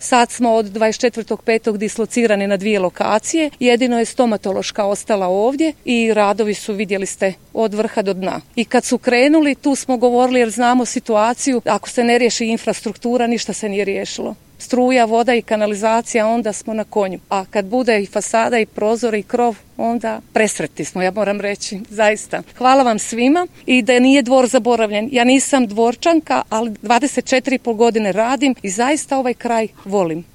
Sad smo od 24.5. dislocirani na 2 lokacije. Jedino je stomatološka ostala ovdje i radovi su, vidjeli ste, od vrha do dna. I kad su krenuli, tu smo govorili jer znamo situaciju, ako se ne riješi infrastruktura, ništa se nije riješilo. Struja, voda i kanalizacija, onda smo na konju. A kad bude i fasada i prozor i krov, onda presretni smo, ja moram reći, zaista. Hvala vam svima i da nije Dvor zaboravljen. Ja nisam Dvorčanka, ali 24,5 godine radim i zaista ovaj kraj volim.